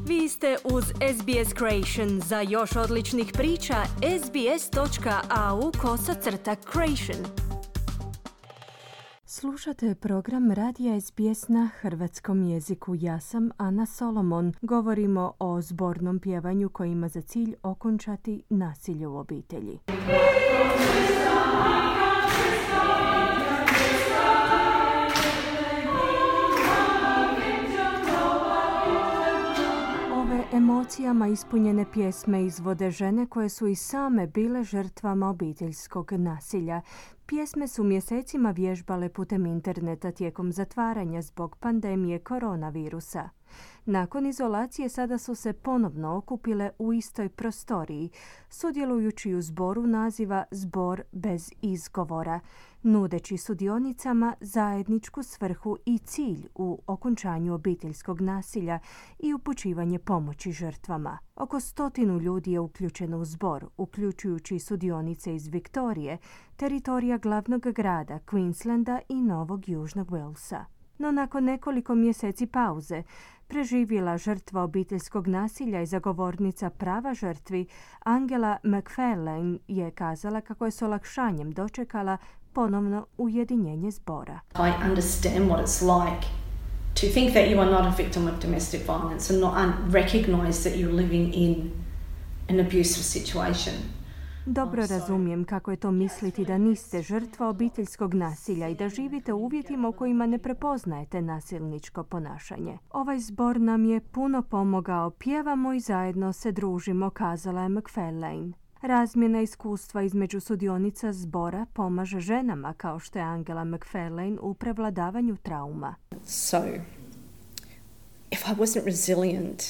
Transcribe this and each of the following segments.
Vi ste uz SBS Creation. Za još odličnih priča, sbs.au/creation. Slušate program Radija SBS na hrvatskom jeziku. Ja sam Ana Solomon. Govorimo o zbornom pjevanju koji ima za cilj okončati nasilje u obitelji. Emocijama ispunjene pjesme izvode žene koje su i same bile žrtvama obiteljskog nasilja. Pjesme su mjesecima vježbale putem interneta tijekom zatvaranja zbog pandemije koronavirusa. Nakon izolacije sada su se ponovno okupile u istoj prostoriji, sudjelujući u zboru naziva Zbor bez izgovora, nudeći sudionicama zajedničku svrhu i cilj u okončanju obiteljskog nasilja i upućivanje pomoći žrtvama. Oko 100 ljudi je uključeno u zbor, uključujući sudionice iz Viktorije, teritorija glavnog grada Queenslanda i Novog Južnog Walesa. No nakon nekoliko mjeseci pauze, preživjela žrtva obiteljskog nasilja i zagovornica prava žrtvi Angela McFarlane je kazala kako je s olakšanjem dočekala ponovno ujedinjenje zbora. I understand what it's like to think that you are not a victim of domestic violence and not recognize that you're living in an abusive situation. Dobro razumijem kako je to misliti da niste žrtva obiteljskog nasilja i da živite u uvjetima u kojima ne prepoznajete nasilničko ponašanje. Ovaj zbor nam je puno pomogao, pjevamo i zajedno se družimo, kazala je McFarlane. Razmjena iskustva između sudionica zbora pomaže ženama kao što je Angela McFarlane u prevladavanju trauma. So, if I wasn't resilient,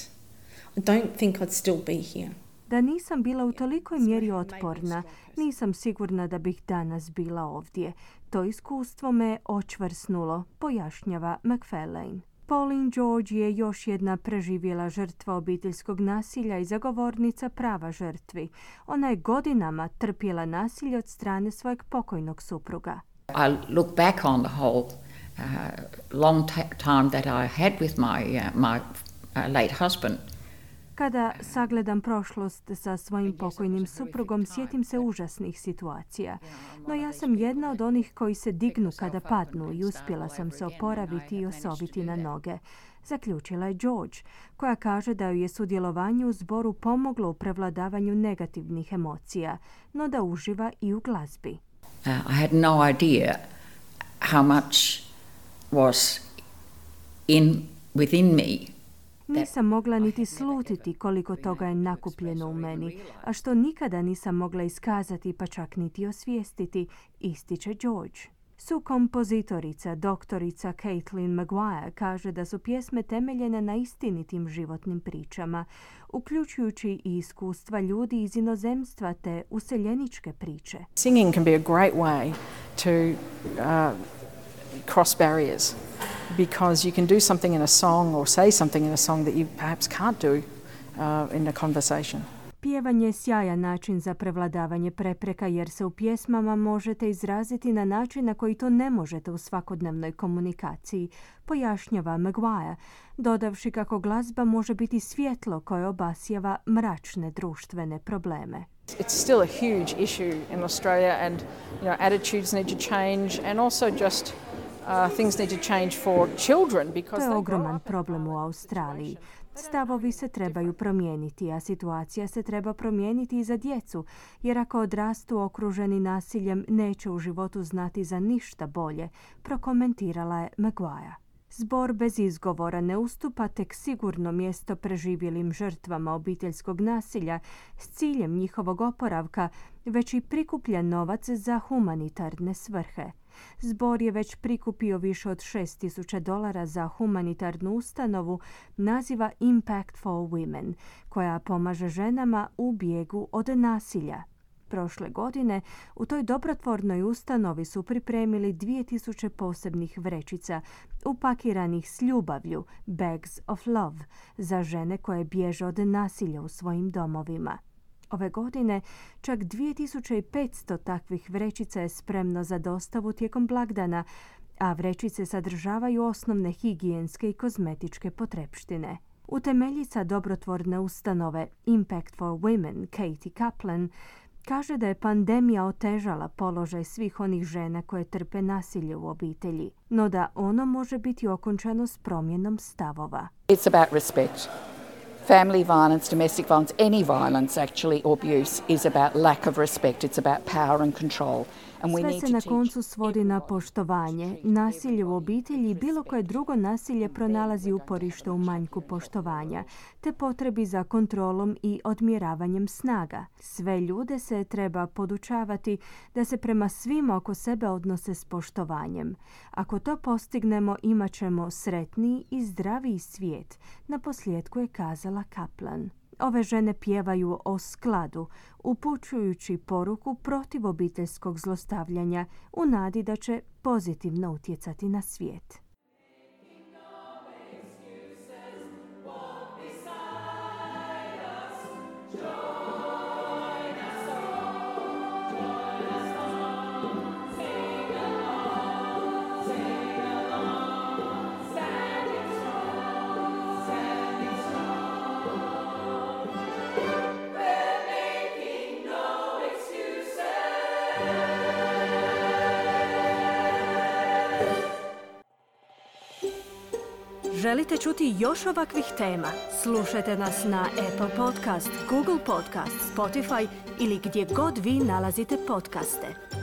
I don't think I'd still be here. Da nisam bila u tolikoj mjeri otporna, nisam sigurna da bih danas bila ovdje. To iskustvo me očvrsnulo, pojašnjava McFarlane. Pauline George je još jedna preživjela žrtva obiteljskog nasilja i zagovornica prava žrtvi. Ona je godinama trpjela nasilje od strane svojeg pokojnog supruga. I look back on the whole long time that I had with my late husband. Kada sagledam prošlost sa svojim pokojnim suprugom, sjetim se užasnih situacija. No ja sam jedna od onih koji se dignu kada padnu i uspjela sam se oporaviti i osoviti na noge. Zaključila je George, koja kaže da joj je sudjelovanje u zboru pomoglo u prevladavanju negativnih emocija, no da uživa i u glazbi. I had no idea how much was within me. Nisam mogla niti slutiti koliko toga je nakupljeno u meni, a što nikada nisam mogla iskazati pa čak niti osvijestiti, ističe George. Sukompozitorica, doktorica Caitlin Maguire kaže da su pjesme temeljene na istinitim životnim pričama, uključujući i iskustva ljudi iz inozemstva te useljeničke priče. Singing can be a great way to cross barriers. Because you can do something in a song or say something in a song that you perhaps can't do in a conversation. Pjevanje je sjajan način za prevladavanje prepreka jer se u pjesmama možete izraziti na način na koji to ne možete u svakodnevnoj komunikaciji, pojašnjava Maguire, dodavši kako glazba može biti svjetlo koje obasjava mračne društvene probleme. It's still a huge issue in Australia and attitudes need to change and also just things need to change for children because to je ogroman problem u Australiji. Stavovi se trebaju promijeniti, a situacija se treba promijeniti i za djecu, jer ako odrastu okruženi nasiljem, neće u životu znati za ništa bolje, prokomentirala je Maguire. Zbor bez izgovora ne ustupa tek sigurno mjesto preživjelim žrtvama obiteljskog nasilja s ciljem njihovog oporavka, već i prikuplja novac za humanitarne svrhe. Zbor je već prikupio više od $6,000 za humanitarnu ustanovu naziva Impact for Women, koja pomaže ženama u bijegu od nasilja. Prošle godine u toj dobrotvornoj ustanovi su pripremili 2000 posebnih vrećica upakiranih s ljubavlju, Bags of Love, za žene koje bježe od nasilja u svojim domovima. Ove godine čak 2500 takvih vrećica je spremno za dostavu tijekom blagdana, a vrećice sadržavaju osnovne higijenske i kozmetičke potrepštine. Utemeljica dobrotvorne ustanove Impact for Women, Katie Kaplan, kaže da je pandemija otežala položaj svih onih žena koje trpe nasilje u obitelji, no da ono može biti okončano s promjenom stavova. It's about respect. Family violence, domestic violence, any violence actually or abuse is about lack of respect. It's about power and control. Sve se na koncu svodi na poštovanje. Nasilje u obitelji i bilo koje drugo nasilje pronalazi uporište u manjku poštovanja, te potrebi za kontrolom i odmjeravanjem snaga. Sve ljude se treba podučavati da se prema svima oko sebe odnose s poštovanjem. Ako to postignemo, imat ćemo sretniji i zdraviji svijet, naposljetku je kazala Kaplan. Ove žene pjevaju o skladu, upućujući poruku protiv obiteljskog zlostavljanja u nadi da će pozitivno utjecati na svijet. Želite čuti još ovakvih tema? Slušajte nas na Apple Podcast, Google Podcast, Spotify ili gdje god vi nalazite podcaste.